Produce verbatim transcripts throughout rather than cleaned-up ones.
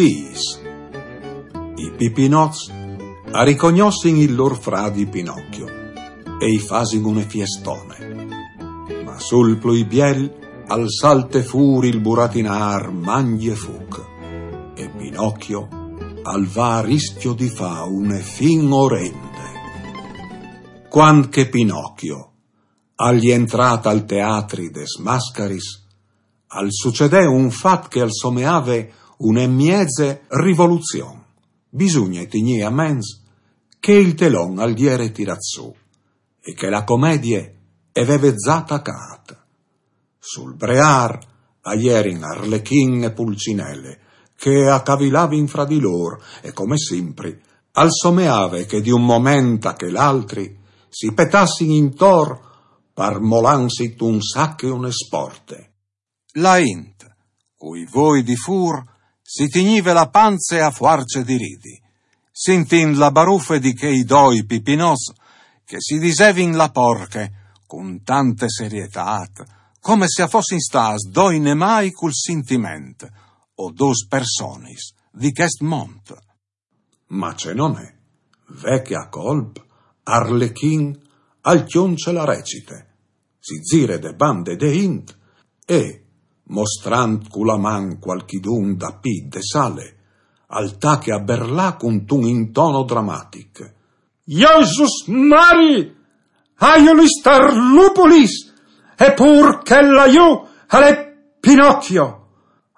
Pis. I pipinots a ricognossin il lor fradi Pinocchio e i fasin une fiestone. Ma sul plui biel al salte fûr il buratinâr Mangjefuc e Pinocchio al va a riscjo di fâ une fin orende. Cuant che Pinocchio al jentrà tal teatri des mascaris, al sucedè un fat che al someave une mieze rivoluzion. Bisugne tignî a ments che il telon al jere tirât sù e che la comedie e veve za tacât. Sul breâr a jerin Arlechin e Pulcinele, che a cavilavin fra di lôr e, come simpri, al someave che di un moment a chel altri si petassin intor par molânsi un sac e une sporte. La int, cui voi di fûr, si tignive la panze a fuarce di ridi, sintint la barufe di chei doi pipinots che si disevin la porche cun tante serietât, come se a fossin stâts doi nemâi cul sintiment, o dôs personis di chest mont. Ma ce no nol è, ve che a colp Arlechin al cjunce la recite, si zire de bande de int e, mostrant cu la man cualchidun dapì de sale, al tache a berlâ cuntun intono dramatic: Jesus Mari! Aiulis Tarlupulis! Epûr chel là jù al è Pinocchio!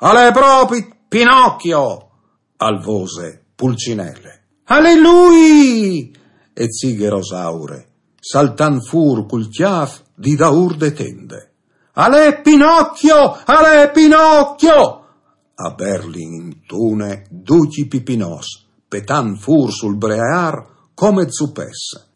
Al è propit Pinocchio! Al vose Pulcinele. Al è lui! E zighe Rosaure, saltant fûr cul cjâf di daûr de tende. Al è Pinocchio! Al è Pinocchio! A berlin intune ducj i pipinots, petant fûr sul breâr come zupets.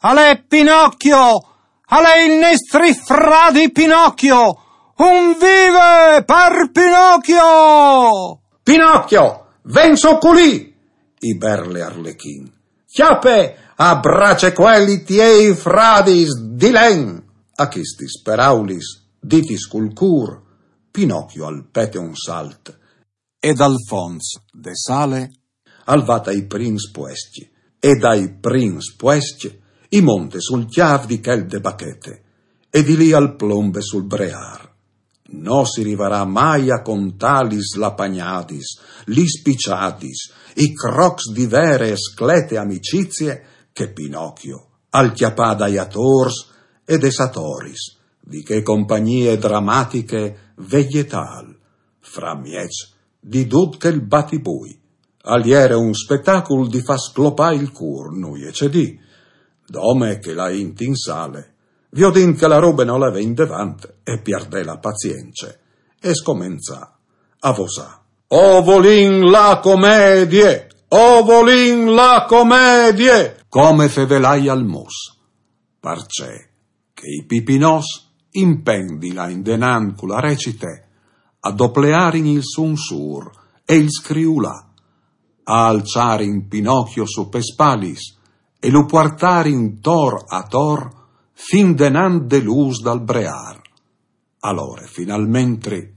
Al è Pinocchio! Al è il nestri fradi Pinocchio! Un vive par Pinocchio! Pinocchio, ven sù culì! I berle Arlechin. Cjape a bracecuel i tiei fradis di len! A chestis peraulis, ditis cul cûr, Pinocchio al pete un salt e dal fonts de sale al va tai prins puescj, e dai prins puescj i monte sul cjâf di chel de bachete, e di li al plombe sul breâr. No si rivarà mai a contâ lis lapagnadis, lis piciadis, i crocs di vere e sclete amicizie che Pinocchio al cjapà dai atôrs e des atoris di chê compagnie dramatiche vegetâl, framieç di dut chel batibui. Al jere un spetacul di fâ sclopâ il cûr, nuie ce dî. Dome che la int in sale, viodint che la robe no leve indevant, e pierdè la pazience e scomenzà a vosâ: O volìn la comedie! O volìn la comedie! Come fevelai al mus. Parcè che i pipinots, in plen di lâ indenant cu la recite, a doplearin il sunsûr e il scriulâ, a alçarin Pinocchio su pes spalis e lu puartarin tor ator fin denant de l'ûs dal breâr. Alore, finalmentri,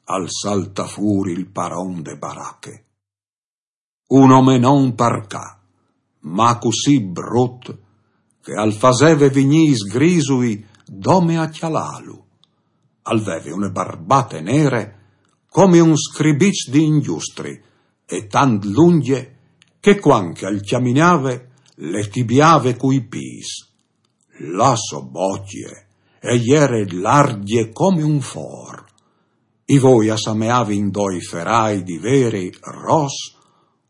al saltà fûr il paron de barache. Un omenon par ca, ma cussì brut, che al faseve vignî i sgrisui dome a cjalâlu. Al veve une barbate nere come un scribiç di ingjustri e tant lungje che cuant che al cjaminave le tibiave cui pîts. La sô bocje e jere largje come un for. I voi a sameavin doi ferai di veri ros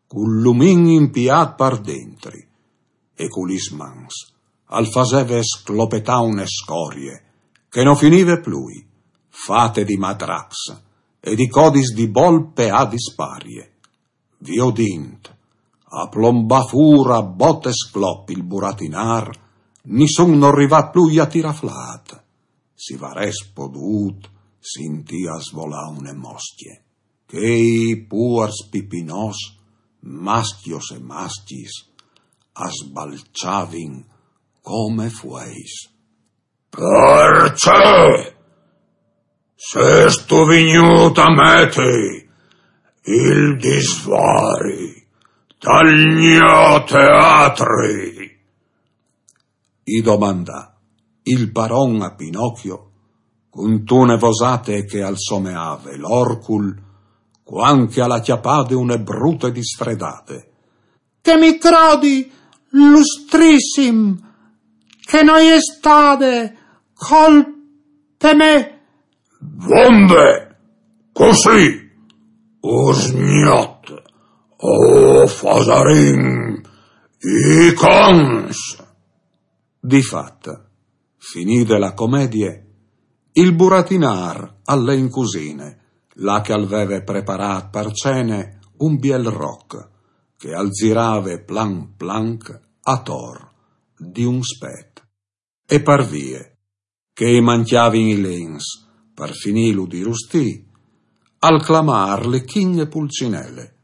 cul lumin impiât par dentri, e cu lis mans al faseve sclopetâ une scorie che no finive plui, fate di matracs e di codis di bolpe a disparie. Viodint a plombâ fûr a bote sclop il buratinâr, nissun nol rivà plui a tirâ flât. Si varès podût sintî a svolâ une moscje. Chei puars pipinots, mascjos e mascjis, a sbalçavin come fueis. Parcè sêstu vignût a meti Il disvari tal gno teatri? I domandà il paron a Pinocchio, cuntune vosate che al someave l'orcul, cuant che al à cjapade une brute disfredade. Che mi crodi, lustrissim, che no je stade colpe mê. Vonde, cussì, usgnot, o fasarìn i cons. Di fat, finide la comedie, il buratinâr al lè in cusine, là che al veve preparât par cene un biel roc, che al zirave planc planc ator di un spet. E par vie che i mancjavin i lens par finîlu di rustî, al clamà Arlechin e Pulcinele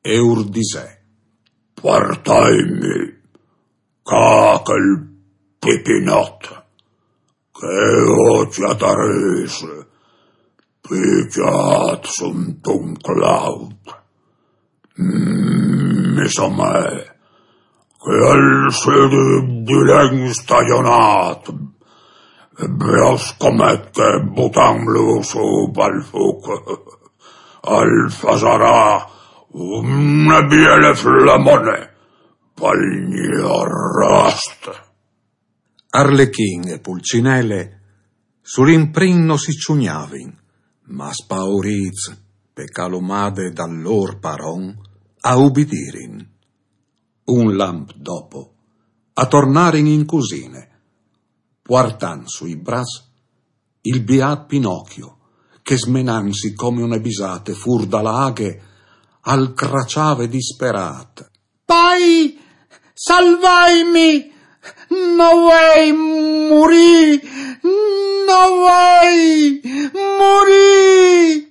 e ur disè: Puartaimi ca chel pipinot, che o cjatarès picjât suntun claut. Mm, mi somee che al sedi di len stagjonât, e broscomet che, butantlu sù pal fûc, al fasarà une biele flamone pal gno rost. Arlechin e Pulcinele sul imprin no si cjugnavin, ma spaurîts pe calumade dal lôr paron, a ubidirin. Un lamp dopo, a tornarin in cusine, puartant sui braçs il biât Pinocchio, che smenantsi come une bisate fûr da la aghe, al craçave disperât: Pai, salvaimi! No vuei murî! No vuei murî!